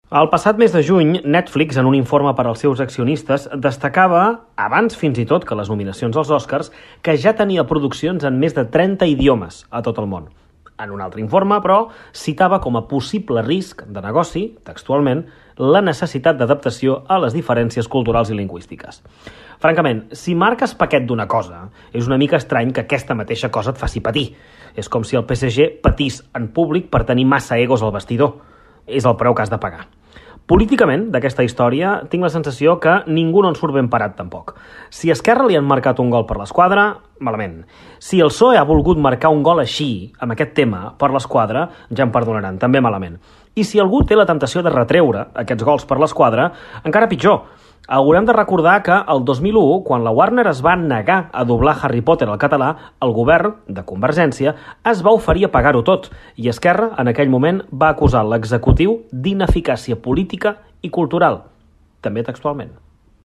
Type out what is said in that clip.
El passat mes de juny, Netflix, en un informe per als seus accionistes, destacava, abans fins i tot que les nominacions als Oscars, que ja tenia produccions en més de 30 idiomes a tot el món. En un altre informe, però, citava com a possible risc de negoci, textualment, la necessitat d'adaptació a les diferències culturals i lingüístiques. Francament, si marques paquet d'una cosa, és una mica estrany que aquesta mateixa cosa et faci patir. És com si el PSG patís en públic per tenir massa egos al vestidor. És el preu que has de pagar. Políticament, d'aquesta història, tinc la sensació que ningú no en surt ben parat, tampoc. Si a Esquerra li han marcat un gol per l'esquadra, malament. Si el PSOE ha volgut marcar un gol així, amb aquest tema, per l'esquadra, ja em perdonaran, també malament. I si algú té la temptació de retreure aquests gols per l'esquadra, encara pitjor. Haurem de recordar que el 2001, quan la Warner es va negar a doblar Harry Potter al català, el govern de Convergència es va oferir a pagar-ho tot i Esquerra, en aquell moment, va acusar l'executiu d'ineficàcia política i cultural, també textualment.